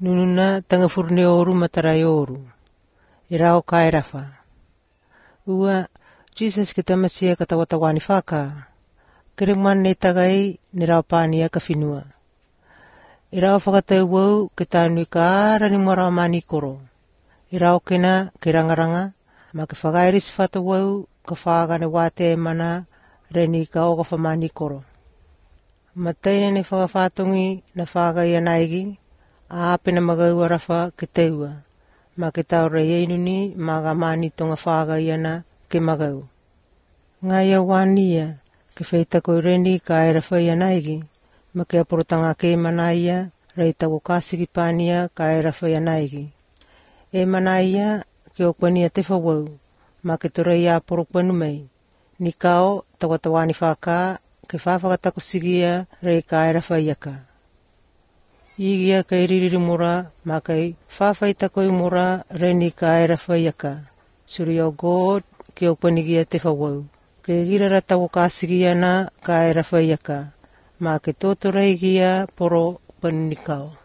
Nununa tanga furne oru matarai oru. Irao kairafa. Ua Jesus kita masia katawatawani whaka. Kiringman ne tagai ni rao pānia ka whinua. Irao whakatau wau ke tānui ka arani mora mani koro. Irao kena ke rangaranga ma ke whagairis whata wau ka whagane wate mana reni ka oga whamani koro. Mataina ne whakawhatongi na whagai anaigi a apena magau arafa ke teua ma ke taure ieinuni ma ga mani tonga whagai ana ke magau. Ngai awania ke whaitako reni ka aerawhai anaigi ma ke aporotanga ke manaia reitako kasiki pānia ka aerawhai anaigi. E manaia ke okwania te whawau ma ke torei a porokpanu mei. Ni kao tawatawani whaka ke whawhakatako sigia rei ka aerawhai aka. Igia ka iririri mura ma kai whawhaitako i mura reni ka aerawhai aka. Suri o God ke okpanigia te whawau. Ke girara tawo kasigia na ka aerawhai aka. Ma ke tōtorei gia poro panunikao.